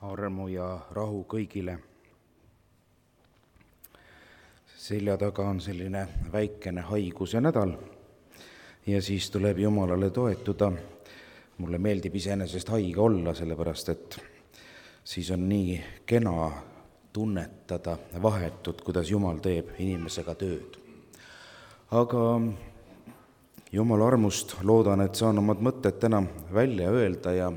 armu ja rahu kõigile. Selja taga on selline väikene haiguse nädal ja siis tuleb Jumalale toetuda. Mulle meeldib iseenesest haige olla, sellepärast et siis on nii kena tunnetada vahetut, kuidas Jumal teeb inimesega tööd. Aga Jumala armust loodan, et saan omad mõtted täna välja öelda ja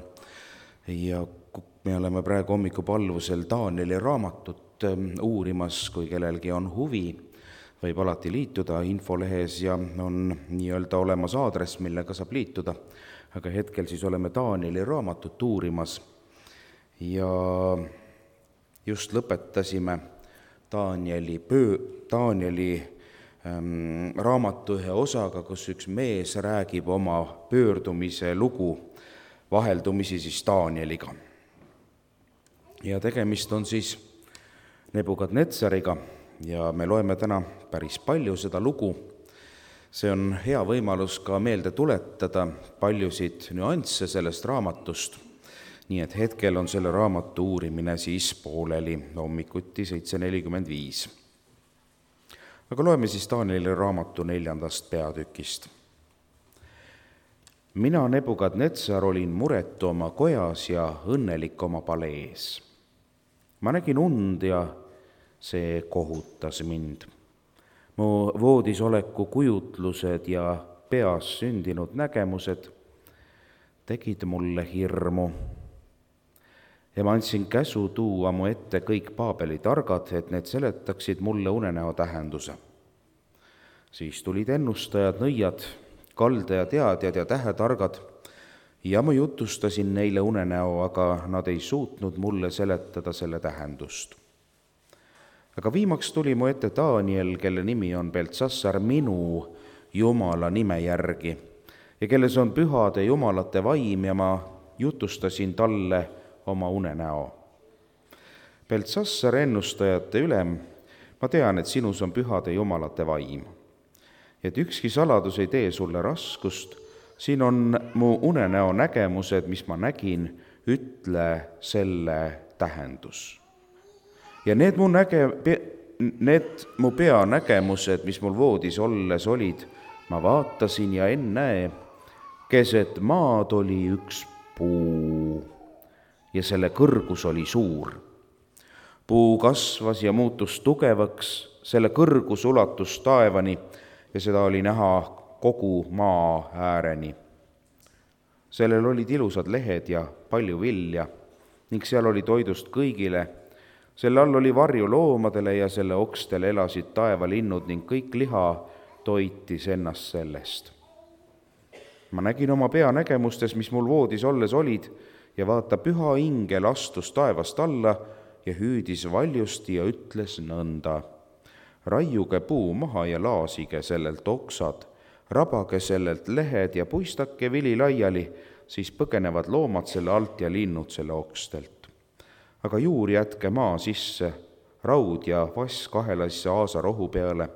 me oleme praegu hommikupalvusel Danieli raamatut uurimas, kui kellelgi on huvi, võib alati liituda infolehes ja on nii-öelda olemas aadress, millega saab liituda. Aga hetkel siis oleme Danieli raamatut uurimas ja just lõpetasime Danieli raamatu ühe osaga, kus üks mees räägib oma pöördumise lugu vaheldumisi siis Danieliga. Ja tegemist on siis Nebukadnetsariga ja me loeme täna päris palju seda lugu. See on hea võimalus ka meelde tuletada paljusid nüansse sellest raamatust. Nii et hetkel on selle raamatu uurimine siis pooleli hommikuti 7.45. Aga loeme siis Danieli raamatu 4. peatükist. Mina, Nebukadnetsar, olin muretu oma kojas ja õnnelik oma palees. Ma nägin und ja see kohutas mind. Mu voodis oleku kujutlused ja peas sündinud nägemused tegid mulle hirmu. Ja ma andsin käsu tuua mu ette kõik Paabeli targad, et need seletaksid mulle unenäo tähenduse. Siis tulid ennustajad, nõiad, kaldajateadjad ja tähetargad ja ma jutustasin neile unenäo, aga nad ei suutnud mulle seletada selle tähendust. Aga viimaks tuli mu ette Daniel, kelle nimi on Beltsassar minu Jumala nime järgi ja kelles on pühade jumalate vaim ja ma jutustasin talle oma unenäo. Beltsassar, ennustajate ülem, ma tean, et sinus on pühade jumalate vaim, et ükski saladus ei tee sulle raskust, siin on mu unenäo nägemused, mis ma nägin, ütle selle tähendus. Ja need mu pea nägemused, mis mul voodis olles olid, ma vaatasin ja ennäe, keset maad oli üks puu ja selle kõrgus oli suur. Puu kasvas ja muutus tugevaks, selle kõrgus ulatus taevani ja seda oli näha kogu maa ääreni. Sellel olid ilusad lehed ja palju vilja ning seal oli toidust kõigile. Selle all oli varju loomadele ja selle okstel elasid taevalinnud ning kõik liha toitis ennast sellest. Ma nägin oma pea nägemustes, mis mul voodis olles olid, ja vaata, püha ingel astus taevast alla ja hüüdis valjusti ja ütles nõnda. Raiuge puu maha ja laasige sellelt oksad, rabage sellelt lehed ja puistake vili laiali, siis põgenevad loomad selle alt ja linnud selle okstelt. Aga juur jätke maa sisse, raud ja vass kahelasse aasarohu peale,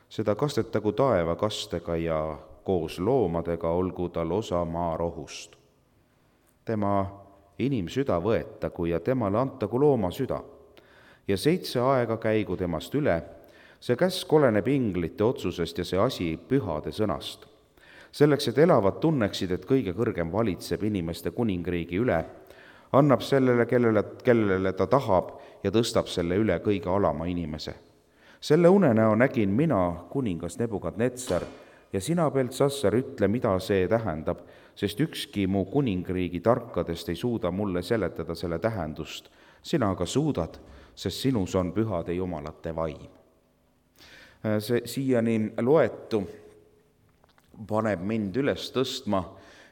seda kastetagu taevakastega ja koos loomadega olgu tal osa maarohust. Tema inimsüda võetagu ja temale antagu looma süda ja 7 aega käigu temast üle. See käsk oleneb inglite otsusest ja see asi pühade sõnast. Selleks, et elavad tunneksid, et kõige kõrgem valitseb inimeste kuningriigi üle, annab sellele, kellele ta tahab ja tõstab selle üle kõige alama inimese. Selle unenäo nägin mina, kuningas Nebukadnetsar, ja sina, Beltsassar, ütle, mida see tähendab, sest ükski mu kuningriigi tarkadest ei suuda mulle seletada selle tähendust. Sina aga suudad, sest sinus on pühade jumalate vaim. Siiani loetu paneb mind üles tõstma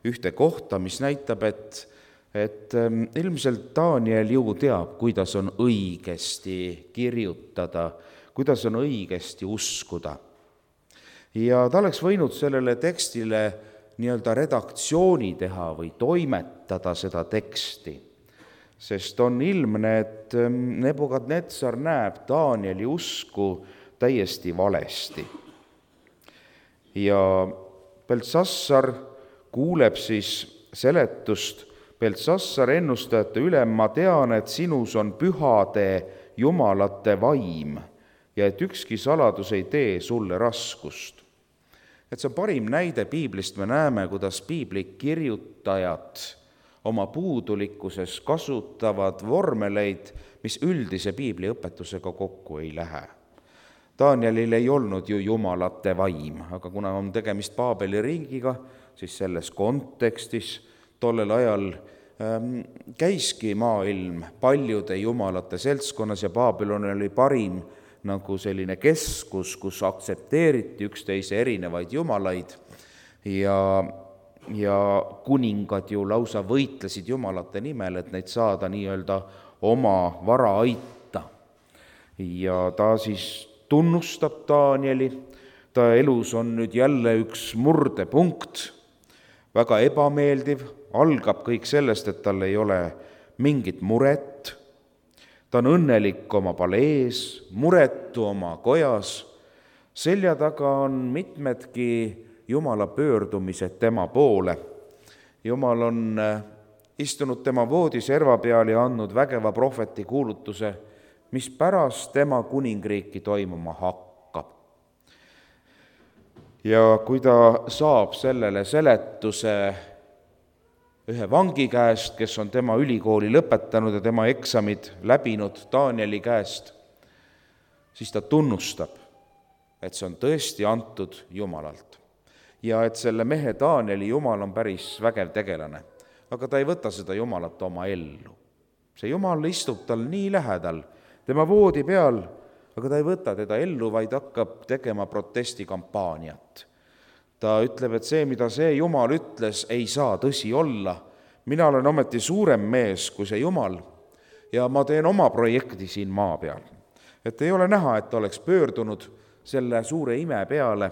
ühte kohta, mis näitab, et ilmselt Daniel ju teab, kuidas on õigesti kirjutada, kuidas on õigesti uskuda. Ja ta oleks võinud sellele tekstile nii-öelda redaktsiooni teha või toimetada seda teksti, sest on ilmne, et Nebukadnetsar näeb Danieli usku täiesti valesti. Ja Beltsassar kuuleb siis seletust, Beltsassar, ennustajate ülem, ma tean, et sinus on pühade jumalate vaim ja et ükski saladus ei tee sulle raskust. Et see on parim näide piiblist, me näeme, kuidas piibli kirjutajad oma puudulikkuses kasutavad vormeleid, mis üldise piibli õpetusega kokku ei lähe. Danielil ei olnud ju jumalate vaim, aga kuna on tegemist Paabeli ringiga, siis selles kontekstis tollel ajal käiski maailm paljude jumalate seltskonnas ja Babylon oli parim nagu selline keskus, kus aktsepteeriti üksteise erinevaid jumalaid ja kuningad ju lausa võitlesid jumalate nimel, et neid saada nii-öelda oma vara aita. Ja ta siis tunnustab Danieli, ta elus on nüüd jälle üks murdepunkt, väga ebameeldiv, algab kõik sellest, et tal ei ole mingit muret, ta on õnnelik oma palees, muretu oma kojas, selja taga on mitmedki Jumala pöördumised tema poole. Jumal on istunud tema voodiserva peal ja andnud vägeva prohveti kuulutuse, mis pärast tema kuningriiki toimuma hakkab. Ja kui ta saab sellele seletuse ühe vangi käest, kes on tema ülikooli lõpetanud ja tema eksamid läbinud Danieli käest, siis ta tunnustab, et see on tõesti antud Jumalalt. Ja et selle mehe Danieli Jumal on päris vägev tegelane, aga ta ei võta seda Jumalat oma ellu. See Jumal istub tal nii lähedal, tema voodi peal, aga ta ei võta teda ellu, vaid hakkab tegema protestikampaaniat. Ta ütleb, et see, mida see Jumal ütles, ei saa tõsi olla. Mina olen ometi suurem mees kui see Jumal ja ma teen oma projekti siin maa peal. Et ei ole näha, et ta oleks pöördunud selle suure ime peale,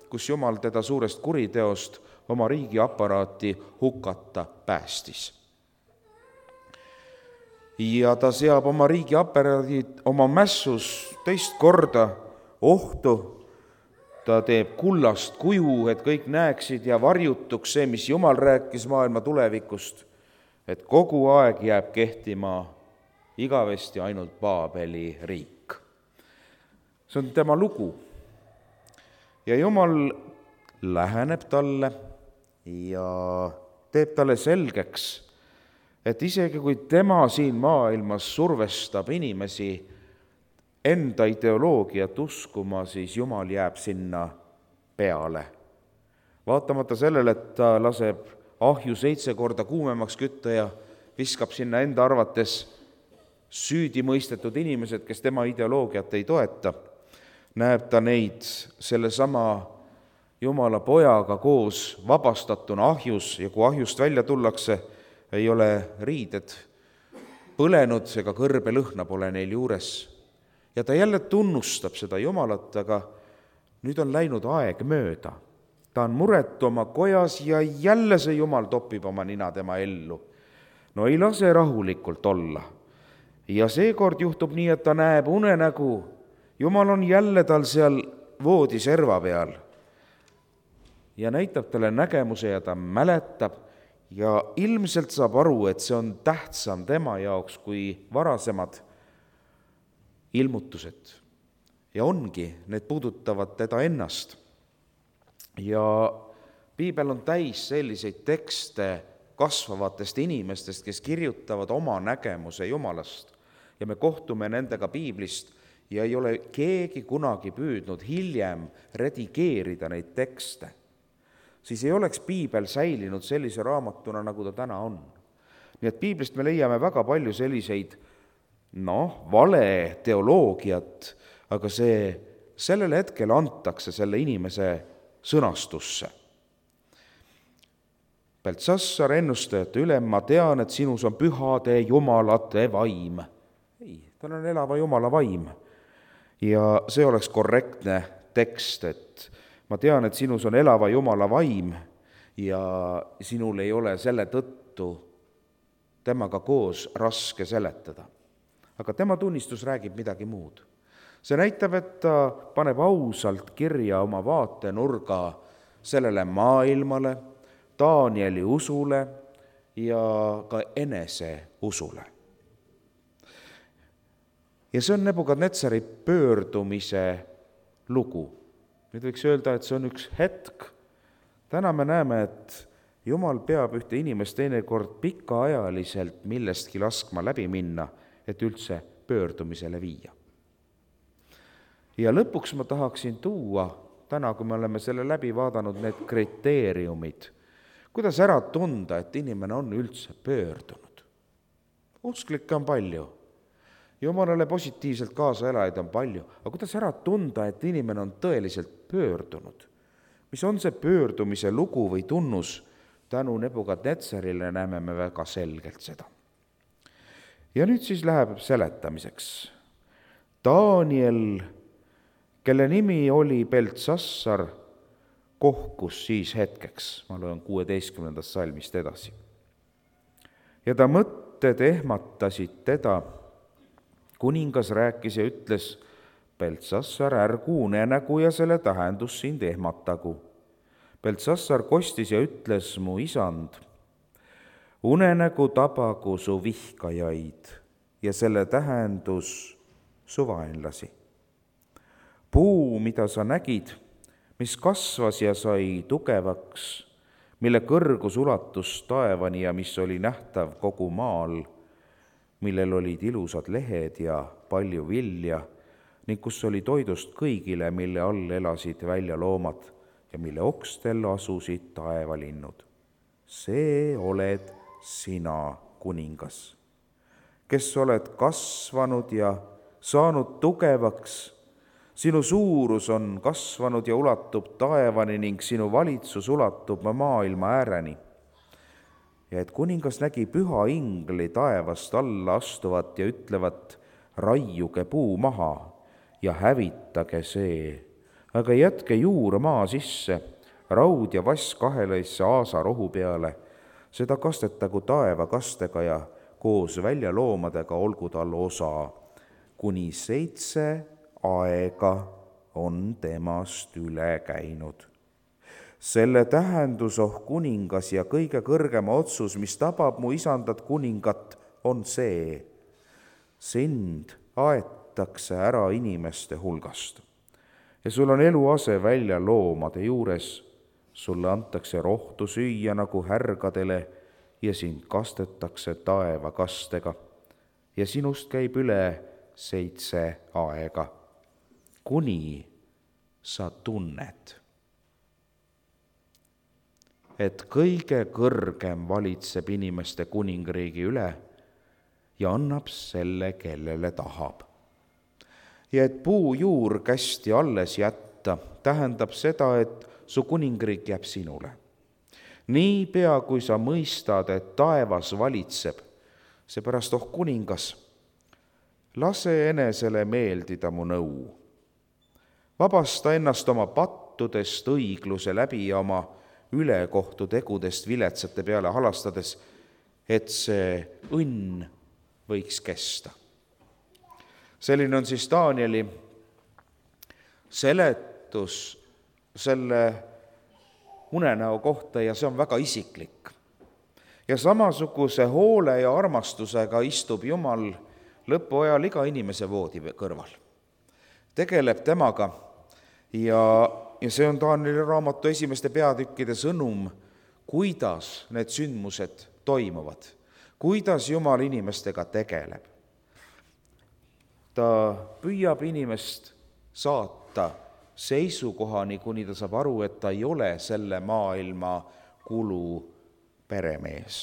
kus Jumal teda suurest kuriteost oma riigiaparaati hukata päästis. Ja ta seab oma riigiaparaadid oma mässus teist korda ohtu. Ta teeb kullast kuju, et kõik näeksid ja varjutuks see, mis Jumal rääkis maailma tulevikust, et kogu aeg jääb kehtima igavesti ainult Paabeli riik. See on tema lugu. Ja Jumal läheneb talle ja teeb talle selgeks, et isegi kui tema siin maailmas survestab inimesi enda ideoloogiat uskuma, siis Jumal jääb sinna peale. Vaatamata sellele, et ta laseb ahju 7 korda kuumemaks kütta ja viskab sinna enda arvates süüdi mõistetud inimesed, kes tema ideoloogiat ei toeta, näeb ta neid sellesama Jumala pojaga koos vabastatuna ahjus ja kui ahjust välja tullakse, ei ole riided põlenud ega kõrbelõhna pole neil juures. Ja ta jälle tunnustab seda Jumalat, aga nüüd on läinud aeg mööda. Ta on muretu oma kojas ja jälle see Jumal topib oma nina tema ellu. No ei lase rahulikult olla. Ja seekord juhtub nii, et ta näeb unenägu. Jumal on jälle tal seal voodiserva peal ja näitab talle nägemuse ja ta mäletab ja ilmselt saab aru, et see on tähtsam tema jaoks kui varasemad ilmutused. Ja ongi, need puudutavad teda ennast. Ja piibel on täis selliseid tekste kasvavatest inimestest, kes kirjutavad oma nägemuse Jumalast. Ja me kohtume nendega piiblist ja ei ole keegi kunagi püüdnud hiljem redigeerida neid tekste. Siis ei oleks piibel säilinud sellise raamatuna, nagu ta täna on. Nii et piiblist me leiame väga palju selliseid vale teoloogiat, aga sellel hetkel antakse selle inimese sõnastusse. Beltsassar, ennustajate ülem, ma tean, et sinus on pühade jumalate vaim. Ei, tal on elava Jumala vaim. Ja see oleks korrektne tekst, et ma tean, et sinus on elava Jumala vaim ja sinul ei ole selle tõttu temaga koos raske seletada. Aga tema tunnistus räägib midagi muud. See näitab, et ta paneb ausalt kirja oma vaatenurga sellele maailmale, Danieli usule ja ka eneseusule. Ja see on Nebukadnetsari pöördumise lugu. Nüüd võiks öelda, et see on üks hetk. Täna me näeme, et Jumal peab ühte inimest teinekord pikaajaliselt millestki laskma läbi minna, et üldse pöördumisele viia. Ja lõpuks ma tahaksin tuua, täna kui me oleme selle läbi vaadanud, need kriteeriumid, kuidas ära tunda, et inimene on üldse pöördunud. Usklikke on palju, Jumalale positiivselt kaasa elajaid on palju, aga kuidas ära tunda, et inimene on tõeliselt pöördunud? Mis on see pöördumise lugu või tunnus? Tänu Nebukadnetsarile näeme me väga selgelt seda. Ja nüüd siis läheb seletamiseks. Daniel, kelle nimi oli Beltsassar, kohkus siis hetkeks. Ma loen 16. salmist edasi. Ja ta mõtted ehmatasid teda. Kuningas rääkis ja ütles, Beltsassar, ärgu unenägu ja selle tähendus sind ehmatagu. Beltsassar kostis ja ütles, mu isand, unenägu tabagu su vihkajaid ja selle tähendus su vaenlasi. Puu, mida sa nägid, mis kasvas ja sai tugevaks, mille kõrgus ulatus taevani ja mis oli nähtav kogu maal, millel olid ilusad lehed ja palju vilja ning kus oli toidust kõigile, mille all elasid välja loomad ja mille okstel asusid taevalinnud. See oled sina, kuningas, kes oled kasvanud ja saanud tugevaks. Sinu suurus on kasvanud ja ulatub taevani ning sinu valitsus ulatub maailma ääreni. Ja et kuningas nägi püha ingli taevast alla astuvat ja ütlevat, raiuge puu maha ja hävitage see, aga jätke juur maa sisse, raud ja vass kahelaisse aasarohu peale, seda kastetagu taevakastega ja koos väljaloomadega olgu tal osa, kuni 7 aega on temast üle käinud. Selle tähendus, kuningas, ja kõige kõrgema otsus, mis tabab mu isandat kuningat, on see. Sind aetakse ära inimeste hulgast ja sul on eluase välja loomade juures. Sulle antakse rohtu süüa nagu härgadele ja sind kastetakse taevakastega ja sinust käib üle 7 aega, kuni sa tunned, et kõige kõrgem valitseb inimeste kuningriigi üle ja annab selle, kellele tahab. Ja et puujuur kästi alles jätta, tähendab seda, et su kuningriik jääb sinule. Niipea, kui sa mõistad, et taevas valitseb, seepärast, kuningas, lase enesele meeldida mu nõu. Vabasta ennast oma pattudest õigluse läbi ja oma ülekohtu tegudest viletsate peale halastades, et see õnn võiks kesta. Selline on siis Danieli seletus selle unenäo kohta ja see on väga isiklik. Ja samasuguse hoole ja armastusega istub Jumal lõpuajal iga inimese voodi kõrval. Tegeleb temaga ja see on Danieli raamatu esimeste peatükkide sõnum, kuidas need sündmused toimuvad, kuidas Jumal inimestega tegeleb. Ta püüab inimest saata seisukohani, kuni ta saab aru, et ta ei ole selle maailma kulu peremees.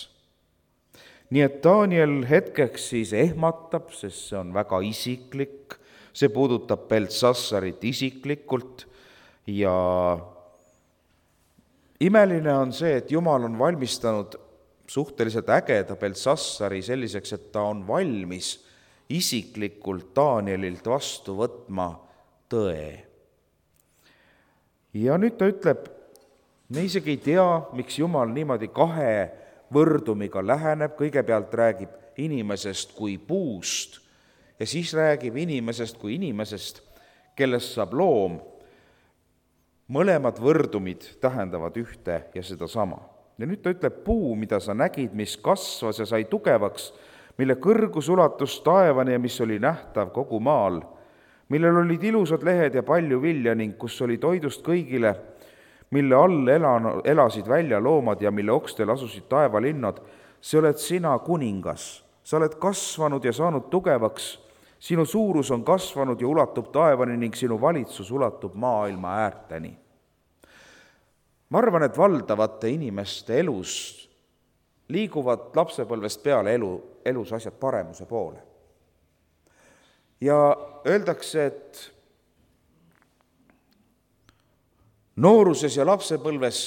Nii et Daniel hetkeks siis ehmatab, sest see on väga isiklik, see puudutab Beltsassarit isiklikult ja imeline on see, et Jumal on valmistanud suhteliselt ägeda Beltsassari selliseks, et ta on valmis isiklikult Danielilt vastu võtma tõe. Ja nüüd ta ütleb, me isegi ei tea, miks Jumal niimoodi 2 võrdumiga läheneb, kõigepealt räägib inimesest kui puust ja siis räägib inimesest kui inimesest, kellest saab loom. Mõlemad võrdumid tähendavad ühte ja seda sama. Ja nüüd ta ütleb, puu, mida sa nägid, mis kasvas ja sai tugevaks, mille kõrgus ulatus taevani ja mis oli nähtav kogu maal, millel olid ilusad lehed ja palju vilja ning kus oli toidust kõigile, mille all elasid välja loomad ja mille okstel asusid taevalinnad, see oled sina, kuningas. Sa oled kasvanud ja saanud tugevaks, sinu suurus on kasvanud ja ulatub taevani ning sinu valitsus ulatub maailma äärteni. Ma arvan, et valdavate inimeste elus liiguvad lapsepõlvest peale elus asjad paremuse poole. Ja öeldakse, et nooruses ja lapsepõlves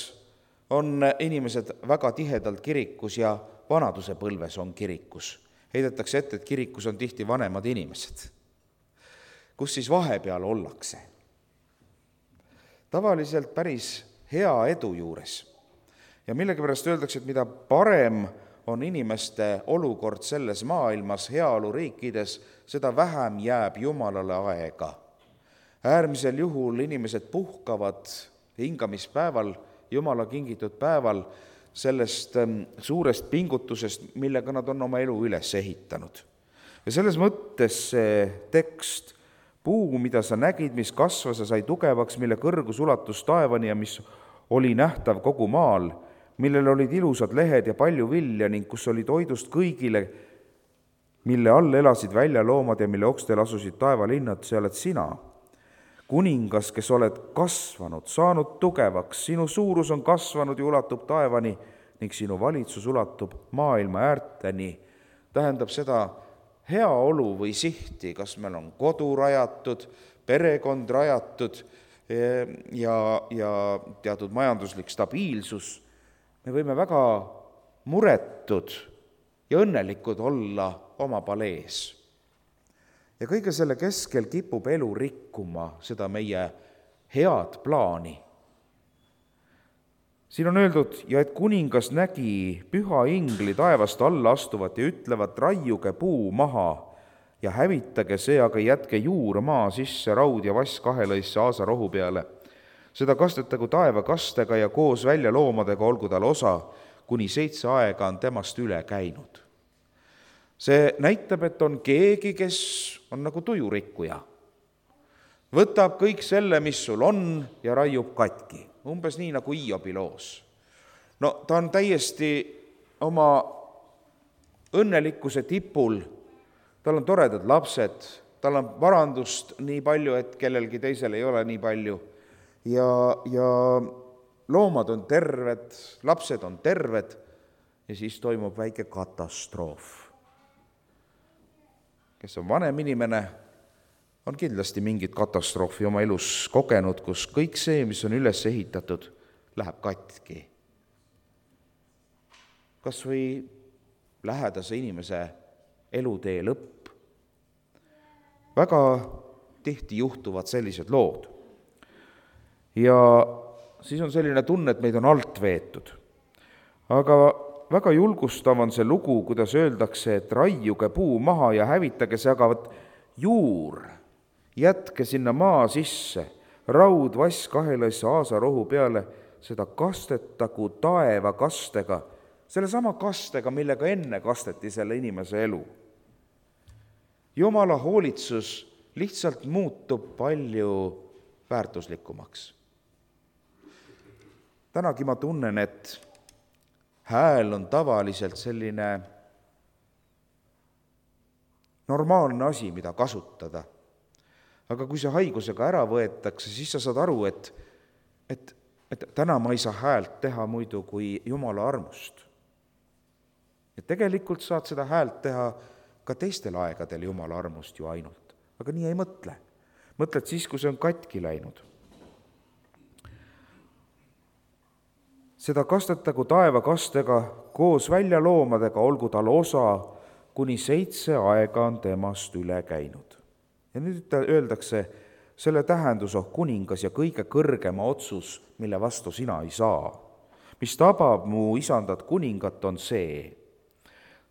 on inimesed väga tihedalt kirikus ja vanaduse põlves on kirikus. Heidetakse ette, et kirikus on tihti vanemad inimesed. Kus siis vahepeal ollakse? Tavaliselt päris hea edu juures. Ja millegipärast öeldakse, et mida parem on inimeste olukord selles maailmas, heaoluriikides, seda vähem jääb Jumalale aega. Äärmisel juhul inimesed puhkavad hingamispäeval, Jumala kingitud päeval, sellest suurest pingutusest, millega nad on oma elu üles ehitanud. Ja selles mõttes see tekst, puu, mida sa nägid, mis kasvas ja sai tugevaks, mille kõrgus ulatus taevani ja mis oli nähtav kogu maal, millel olid ilusad lehed ja palju vilja ning kus oli toidust kõigile, mille all elasid välja loomad ja mille okstel asusid taevalinnad, see oled sina. Kuningas, kes oled kasvanud, saanud tugevaks, sinu suurus on kasvanud ja ulatub taevani ning sinu valitsus ulatub maailma äärteni. Tähendab seda heaolu või sihti, kas meil on kodu rajatud, perekond rajatud ja teatud majanduslik stabiilsus. Me võime väga muretud ja õnnelikud olla oma palees. Ja kõige selle keskel kipub elu rikkuma seda meie head plaani. Siin on öeldud, ja et kuningas nägi püha ingli taevast alla astuvat ja ütlevat, raiuge puu maha ja hävitage see, aga jätke juur maa sisse, raud ja vass kahelõisse aasarohu peale. Seda kastetagu taeva kastega ja koos välja loomadega olgu tal osa, kuni 7 aega on temast üle käinud. See näitab, et on keegi, kes on nagu tujurikkuja. Võtab kõik selle, mis sul on, ja raiub katki. Umbes nii nagu Hiobi loos. No ta on täiesti oma õnnelikkuse tipul, tal on toredad lapsed, tal on varandust nii palju, et kellelgi teisel ei ole nii palju. Ja loomad on terved, lapsed on terved ja siis toimub väike katastroof. Kes on vanem inimene, on kindlasti mingit katastroofi oma elus kogenud, kus kõik see, mis on üles ehitatud, läheb katki. Kas või lähedase inimese elutee lõpp. Väga tihti juhtuvad sellised lood. Ja siis on selline tunne, et meid on alt veetud. Aga väga julgustav on see lugu, kuidas öeldakse, et raiuge puu maha ja hävitage see, aga juur, jätke sinna maa sisse, raud, vass kahelõisse aasarohu peale, seda kastetagu taeva kastega, selle sama kastega, millega enne kasteti selle inimese elu. Jumala hoolitsus lihtsalt muutub palju väärtuslikumaks. Tänagi ma tunnen, et hääl on tavaliselt selline normaalne asi, mida kasutada. Aga kui see haigusega ära võetakse, siis sa saad aru, et täna ma ei saa häält teha muidu kui Jumala armust. Ja tegelikult saad seda häält teha ka teistel aegadel Jumala armust ju ainult. Aga nii ei mõtle. Mõtled siis, kui see on katki läinud. Seda kastetagu taeva kastega koos välja loomadega, olgu tal osa, kuni 7 aega on temast üle käinud. Ja nüüd öeldakse, selle tähendus, kuningas ja kõige kõrgema otsus, mille vastu sina ei saa. Mis tabab mu isandat kuningat, on see.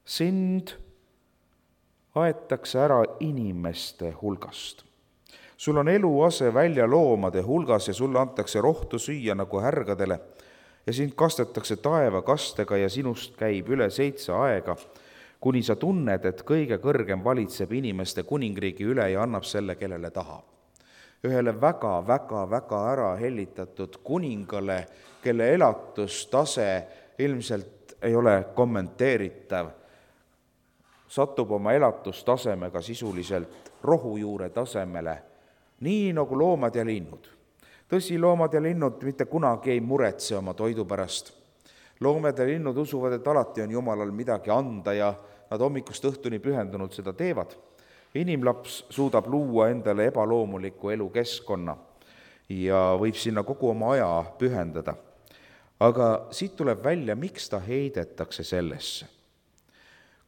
Sind aetakse ära inimeste hulgast. Sul on eluase välja loomade hulgas ja sulle antakse rohtu süüa nagu härgadele ja sind kastetakse taevakastega ja sinust käib üle 7 aega, kuni sa tunned, et kõige kõrgem valitseb inimeste kuningriigi üle ja annab selle, kellele tahab. Ühele väga ära hellitatud kuningale, kelle elatustase ilmselt ei ole kommenteeritav, satub oma elatustasemega sisuliselt rohujuure tasemele, nii nagu loomad ja linnud. Tõsi, loomad ja linnud mitte kunagi ei muretse oma toidu pärast. Loomad ja linnud usuvad, et alati on Jumalal midagi anda ja nad hommikust õhtuni pühendunud seda teevad. Inimlaps suudab luua endale ebaloomuliku elukeskkonna ja võib sinna kogu oma aja pühendada. Aga siit tuleb välja, miks ta heidetakse sellesse.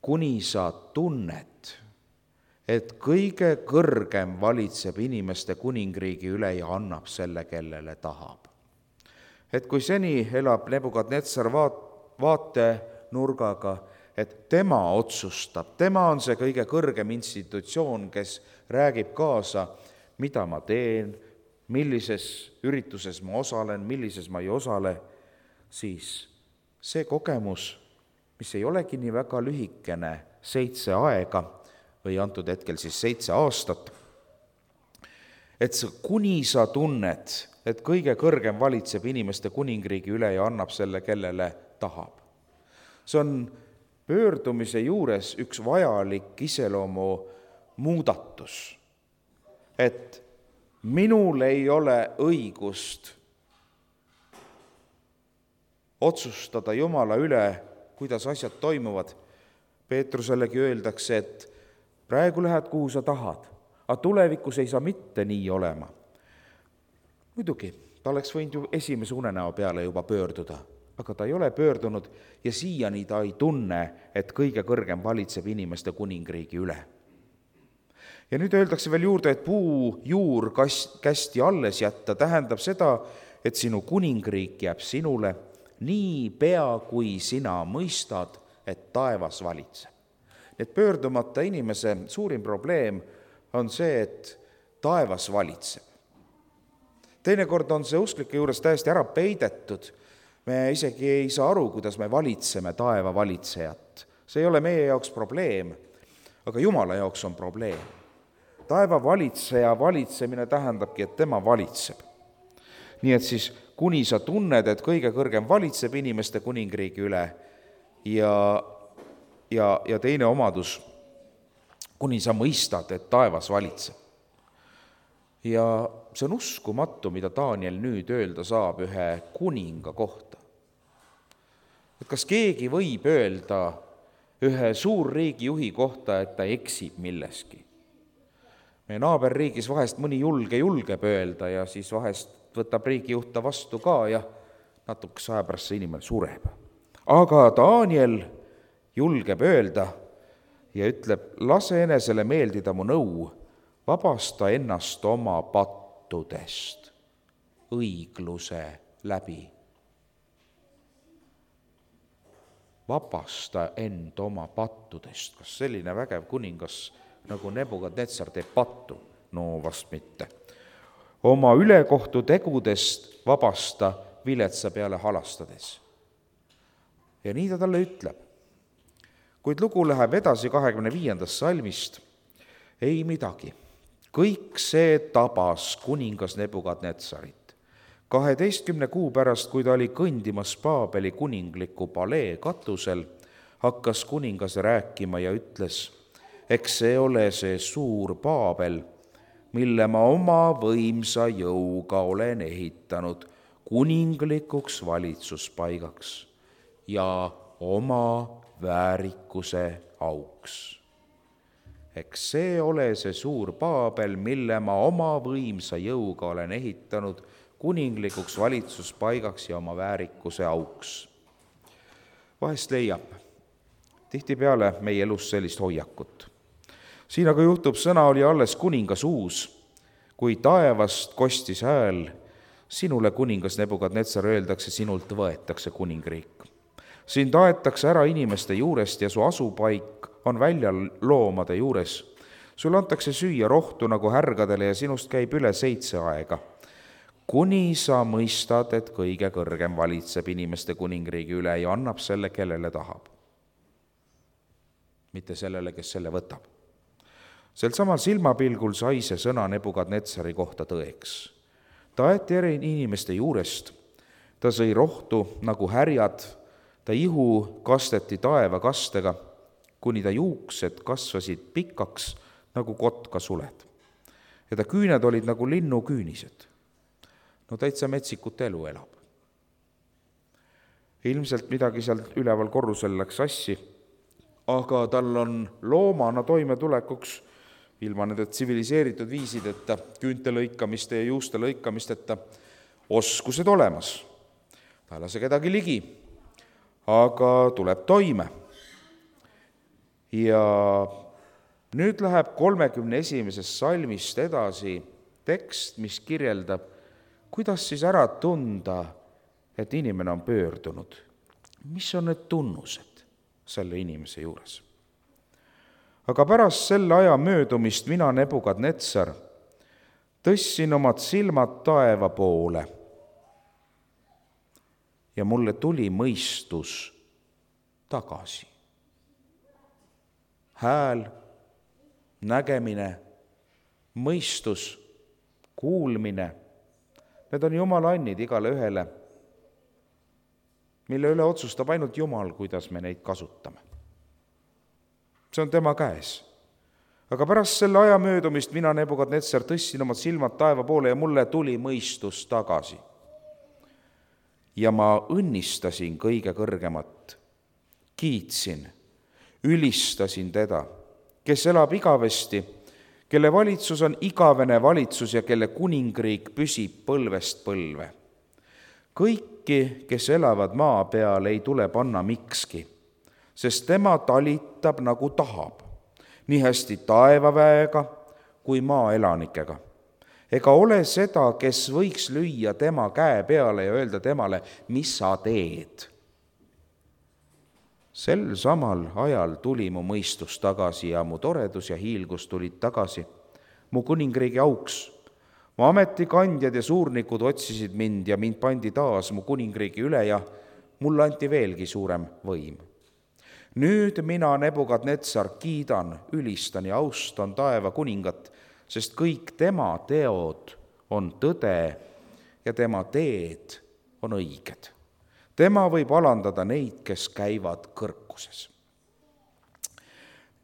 Kuni sa tunned, et kõige kõrgem valitseb inimeste kuningriigi üle ja annab selle, kellele tahab. Et kui seni elab Nebukadnetsar vaatenurgaga, et tema otsustab, tema on see kõige kõrgem institutsioon, kes räägib kaasa, mida ma teen, millises ürituses ma osalen, millises ma ei osale, siis see kogemus, mis ei olegi nii väga lühikene, 7 aega või antud hetkel siis 7 aastat, et kuni sa tunned, et kõige kõrgem valitseb inimeste kuningriigi üle ja annab selle, kellele tahab. See on pöördumise juures üks vajalik iseloomu muudatus, et minul ei ole õigust otsustada Jumala üle, kuidas asjad toimuvad. Peetrusellegi öeldakse, et praegu lähed, kuhu sa tahad, aga tulevikus ei saa mitte nii olema. Muidugi, ta oleks võinud ju esimese unenäo peale juba pöörduda, aga ta ei ole pöördunud ja siiani ta ei tunne, et kõige kõrgem valitseb inimeste kuningriigi üle. Ja nüüd öeldakse veel juurde, et puu juur kästi alles jätta tähendab seda, et sinu kuningriik jääb sinule nii pea, kui sina mõistad, et taevas valitseb. Et pöördumata inimese suurim probleem on see, et taevas valitseb. Teinekord on see usklike juures täiesti ära peidetud. Me isegi ei saa aru, kuidas me valitseme taeva valitsejat. See ei ole meie jaoks probleem, aga Jumala jaoks on probleem. Taeva valitseja valitsemine tähendabki, et tema valitseb. Nii et siis, kuni sa tunned, et kõige kõrgem valitseb inimeste kuningriigi üle ja teine omadus, kuni sa mõistad, et taevas valitseb. Ja see on uskumatu, mida Daniel nüüd öelda saab ühe kuninga kohta. Et kas keegi võib öelda ühe suurriigi juhi kohta, et ta eksib milleski? Meie naaberriigis vahest mõni julgeb öelda ja siis vahest võtab riigijuht ta vastu ka ja natukese aja pärast see inimene sureb. Aga Daniel julgeb öelda ja ütleb, lase enesele meeldida mu nõu, vabasta ennast oma pattudest õigluse läbi. Vabasta end oma pattudest. Kas selline vägev kuningas nagu Nebukadnetsar teeb pattu? No vast mitte. Oma ülekohtu tegudest vabasta viletsa peale halastades. Ja nii ta talle ütleb. Kuid lugu läheb edasi 25. salmist. Ei midagi. Kõik see tabas kuningas Nebukadnetsarit. 12 kuu pärast, kui ta oli kõndimas Paabeli kuningliku palee katusel, hakkas kuningas rääkima ja ütles, eks see ole see suur Paabel, mille ma oma võimsa jõuga olen ehitanud kuninglikuks valitsuspaigaks ja oma väärikuse auks. Eks see ole see suur Paabel, mille ma oma võimsa jõuga olen ehitanud kuninglikuks valitsuspaigaks ja oma väärikuse auks. Vahest leiab tihtipeale meie elus sellist hoiakut. Siin aga juhtub, sõna oli alles kuningas uus, kui taevast kostis hääl, sinule kuningas Nebukadnetsar öeldakse, sinult võetakse kuningriik. Siin taetakse ära inimeste juurest ja su asupaik on väljal loomade juures. Sul antakse süüa rohtu nagu härgadele ja sinust käib üle 7 aega. kuni sa mõistad, et kõige kõrgem valitseb inimeste kuningriigi üle ja annab selle, kellele tahab. Mitte sellele, kes selle võtab. Sel samal silmapilgul sai see sõna Nebukadnetsari kohta tõeks. Ta aeti eri inimeste juurest, ta sõi rohtu nagu härjad, ta ihu kasteti taevakastega, kuni ta juuksed kasvasid pikaks nagu kotkasuled. Ja ta küüned olid nagu linnuküünised. No täitsa metsikut elu elab. Ilmselt midagi seal üleval korrusel läks sassi, aga tal on loomana toimetulekuks ilma nende tsiviliseeritud viisideta, küünte lõikamiste ja juuste lõikamisteta oskused olemas. Ta ei lase kedagi ligi, aga tuleb toime. Ja nüüd läheb 31. salmist edasi tekst, mis kirjeldab, kuidas siis ära tunda, et inimene on pöördunud. Mis on need tunnused selle inimese juures? Aga pärast selle aja möödumist mina, Nebukadnetsar, tõstsin omad silmad taeva poole ja mulle tuli mõistus tagasi. Hääl, nägemine, mõistus, kuulmine, need on Jumala annid igale ühele, mille üle otsustab ainult Jumal, kuidas me neid kasutame. See on tema käes. Aga pärast selle aja möödumist mina, Nebukadnetsar, tõstsin omad silmad taeva poole ja mulle tuli mõistus tagasi. Ja ma õnnistasin kõige kõrgemat, kiitsin, ülistasin teda, kes elab igavesti, kelle valitsus on igavene valitsus ja kelle kuningriik püsib põlvest põlve. Kõiki, kes elavad maa peal, ei tule panna mikski, sest tema talitab nagu tahab, nii hästi taevaväega kui maaelanikega. Ega ole seda, kes võiks lüüa tema käe peale ja öelda temale, mis sa teed. Sel samal ajal tuli mu mõistus tagasi ja mu toredus ja hiilgus tulid tagasi. Mu kuningriigi auks, mu ametikandjad ja suurnikud otsisid mind ja mind pandi taas mu kuningriigi üle ja mulle anti veelgi suurem võim. Nüüd mina, Nebukadnetsar, kiidan, ülistan ja austan taeva kuningat, sest kõik tema teod on tõde ja tema teed on õiged. Tema võib alandada neid, kes käivad kõrkuses.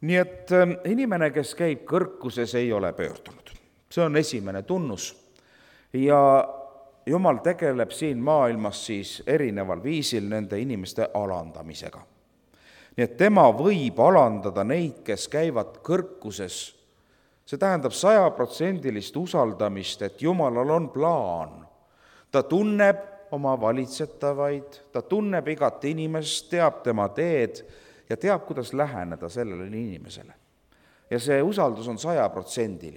Nii et inimene, kes käib kõrkuses, ei ole pöördunud. See on esimene tunnus. Ja Jumal tegeleb siin maailmas siis erineval viisil nende inimeste alandamisega. Nii et tema võib alandada neid, kes käivad kõrkuses. See tähendab 100% usaldamist, et Jumalal on plaan. Ta tunneb oma valitsetavaid, ta tunneb igat inimest, teab tema teed ja teab, kuidas läheneda sellele inimesele. Ja see usaldus on 100%.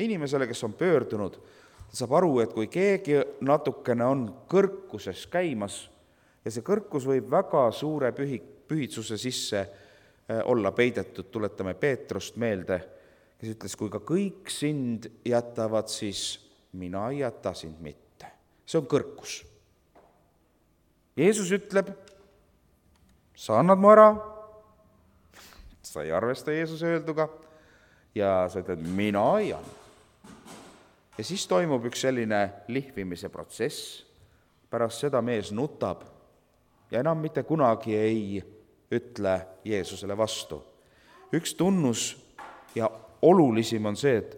Inimesele, kes on pöördunud, ta saab aru, et kui keegi natukene on kõrkuses käimas ja see kõrkus võib väga suure pühitsuse sisse olla peidetud, tuletame Peetrust meelde, kes ütles, kui ka kõik sind jätavad, siis mina ei jäta sind mitte. See on kõrkus. Jeesus ütleb, sa annad mu ära, sa ei arvesta Jeesuse öelduga ja sa ütled, mina ei anna. Ja siis toimub üks selline lihvimise protsess, pärast seda mees nutab ja enam mitte kunagi ei ütle Jeesusele vastu. Üks tunnus ja olulisim on see, et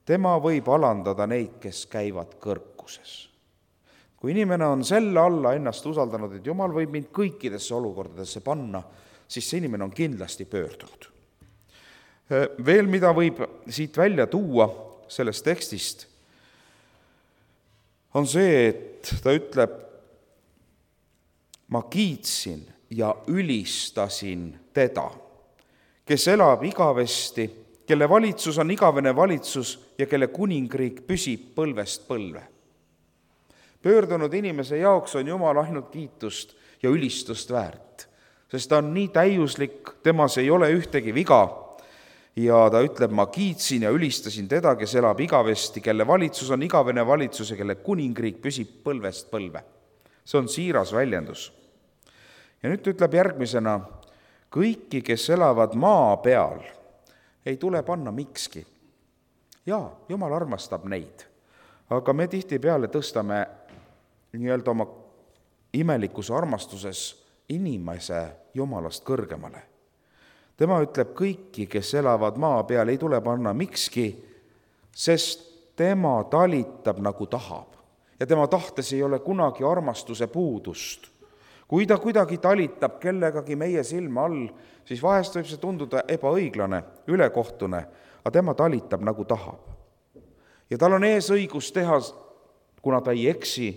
tema võib alandada neid, kes käivad kõrkuses. Kui inimene on selle alla ennast usaldanud, et Jumal võib mind kõikidesse olukordadesse panna, siis see inimene on kindlasti pöördunud. Veel mida võib siit välja tuua sellest tekstist, on see, et ta ütleb, ma kiitsin ja ülistasin teda, kes elab igavesti, kelle valitsus on igavene valitsus ja kelle kuningriik püsib põlvest põlve. Pöördunud inimese jaoks on Jumal ainult kiitust ja ülistust väärt, sest ta on nii täiuslik, temas ei ole ühtegi viga ja ta ütleb, ma kiitsin ja ülistasin teda, kes elab igavesti, kelle valitsus on igavene valitsus ja kelle kuningriik püsib põlvest põlve. See on siiras väljendus. Ja nüüd ütleb järgmisena, kõiki, kes elavad maa peal, ei tule panna mikski. Jaa, Jumal armastab neid, aga me tihtipeale tõstame nii-öelda oma imelikus armastuses inimese Jumalast kõrgemale. Tema ütleb, kõiki, kes elavad maa peal, ei tule panna mikski, sest tema talitab nagu tahab. Ja tema tahtes ei ole kunagi armastuse puudust. Kui ta kuidagi talitab kellegagi meie silma all, siis vahest võib see tunduda ebaõiglane, ülekohtune, aga tema talitab nagu tahab. Ja tal on ees õigus teha, kuna ta ei eksi,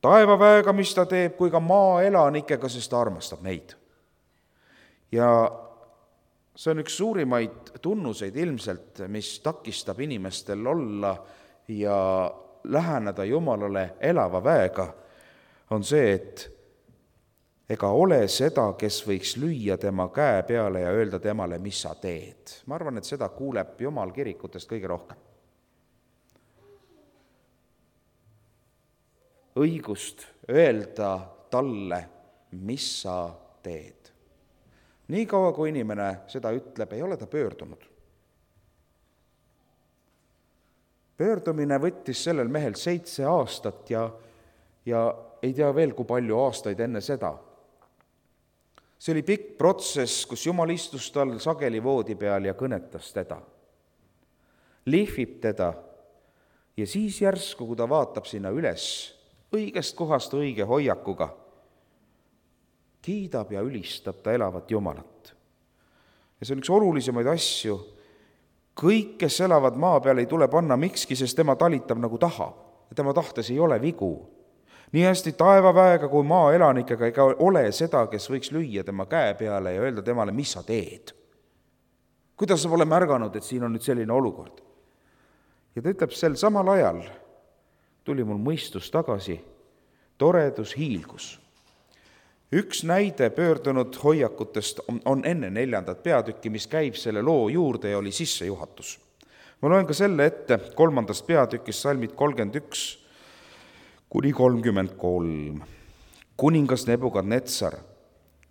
taevaväega, mis ta teeb, kui ka maaelanikega, sest ta armastab neid. Ja see on üks suurimaid tunnuseid ilmselt, mis takistab inimestel olla ja läheneda Jumalale elava väega, on see, et ega ole seda, kes võiks lüüa tema käe peale ja öelda temale, mis sa teed. Ma arvan, et seda kuuleb Jumal kirikutest kõige rohkem. Õigust öelda talle, mis sa teed. Nii kaua, kui inimene seda ütleb, ei ole ta pöördunud. Pöördumine võttis sellel mehel 7 aastat ja ei tea veel, kui palju aastaid enne seda. See oli pikk protsess, kus Jumal istus tal sageli voodi peal ja kõnetas teda. Lihvib teda ja siis järsku, kui ta vaatab sinna üles, õigest kohast õige hoiakuga, kiidab ja ülistab ta elavat Jumalat. Ja see on üks olulisemaid asju. Kõik, kes elavad maa peal, ei tule panna mikski, sest tema talitab nagu tahab. Ja tema tahtes ei ole vigu. Nii hästi taevaväega kui maaelanikega ega ole seda, kes võiks lüüa tema käe peale ja öelda temale, mis sa teed. Kuidas sa pole märganud, et siin on nüüd selline olukord? Ja ta ütleb, sel samal ajal tuli mul mõistus tagasi, toredus hiilgus. Üks näide pöördunud hoiakutest on enne 4. peatükki, mis käib selle loo juurde ja oli sissejuhatus. Ma loen ka selle ette 3. peatükist salmid 31 kuni 33. Kuningas Nebukadnetsar,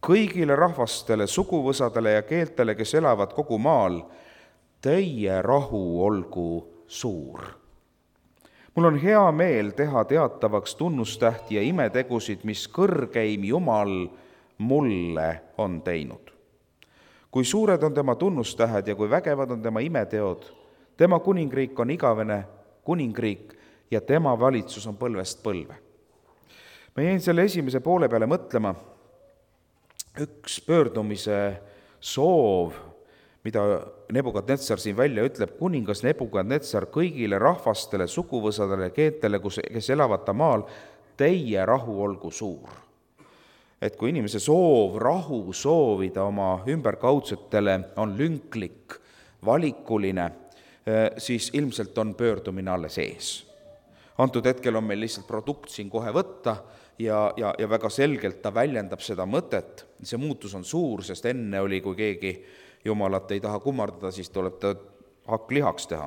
kõigile rahvastele, suguvõsadele ja keeltele, kes elavad kogu maal, teie rahu olgu suur. Mul on hea meel teha teatavaks tunnustähti ja imetegusid, mis kõrgeim Jumal mulle on teinud. Kui suured on tema tunnustähed ja kui vägevad on tema imeteod, tema kuningriik on igavene kuningriik ja tema valitsus on põlvest põlve. Ma jäin selle esimese poole peale mõtlema, üks pöördumise soov, mida Nebukadnetsar siin välja ütleb, kuningas Nebukadnetsar kõigile rahvastele, suguvõsadele, keeltele, kes elavad ta maal, teie rahu olgu suur. Et kui inimese soov, rahu soovida oma ümberkaudsetele on lünklik, valikuline, siis ilmselt on pöördumine alles ees. Antud hetkel on meil lihtsalt produkt siin kohe võtta ja väga selgelt ta väljendab seda mõtet. See muutus on suur, sest enne oli, kui keegi Jumalat ei taha kummardada, siis tuleb ta hakk lihaks teha,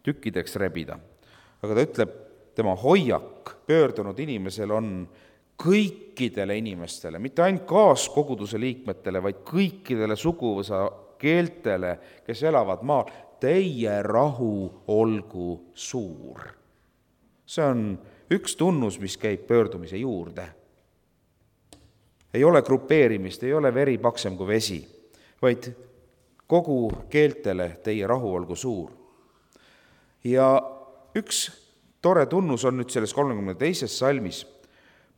tükkideks rebida. Aga ta ütleb, tema hoiak pöördunud inimesel on kõikidele inimestele, mitte ainult kaaskoguduse liikmetele, vaid kõikidele suguvõsa keeltele, kes elavad maal, teie rahu olgu suur. See on üks tunnus, mis käib pöördumise juurde. Ei ole grupeerimist, ei ole veri paksem kui vesi, vaid kogu keeltele teie rahu olgu suur. Ja üks tore tunnus on nüüd selles 32. salmis.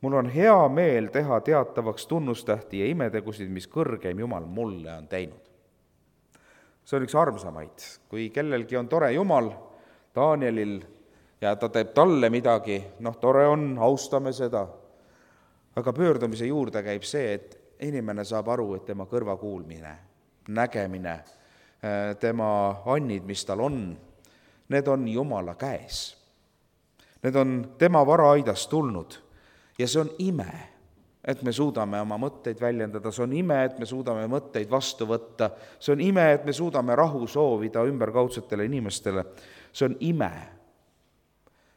Mul on hea meel teha teatavaks tunnustähti ja imetegusid, mis kõrgeim Jumal mulle on teinud. See on üks armsamaid. Kui kellelgi on tore Jumal, Danielil, ja ta teeb talle midagi, tore on, austame seda. Aga pöördumise juurde käib see, et inimene saab aru, et tema kõrvakuulmine, nägemine, tema annid, mis tal on, need on Jumala käes. Need on tema varaaidast tulnud ja see on ime. et me suudame oma mõtteid väljendada, see on ime, et me suudame mõtteid vastu võtta, see on ime, et me suudame rahu soovida ümberkaudsetele inimestele, see on ime.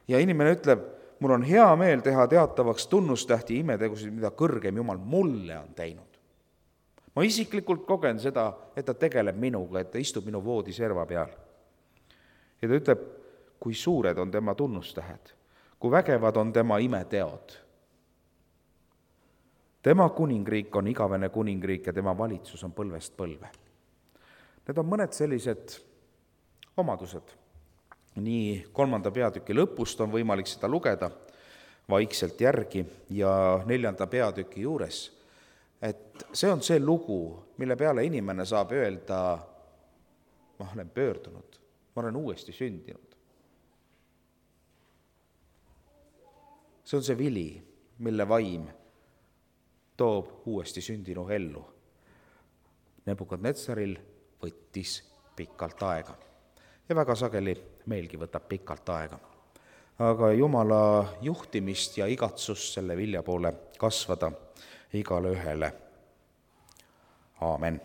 Ja inimene ütleb, mul on hea meel teha teatavaks tunnustähti imetegusid, mida kõrgem Jumal mulle on teinud. Ma isiklikult kogen seda, et ta tegeleb minuga, et ta istub minu voodiserva peal. Ja ta ütleb, kui suured on tema tunnustähed, kui vägevad on tema imeteod. Tema kuningriik on igavene kuningriik ja tema valitsus on põlvest põlve. Need on mõned sellised omadused. Nii 3. peatüki lõpust on võimalik seda lugeda vaikselt järgi ja 4. peatüki juures, et see on see lugu, mille peale inimene saab öelda, ma olen pöördunud, ma olen uuesti sündinud. See on see vili, mille vaim toob uuesti sündinu ellu. Nebukadnetsaril võttis pikalt aega ja väga sageli meilgi võtab pikalt aega. Aga Jumala juhtimist ja igatsust selle vilja poole kasvada igale ühele. Aamen.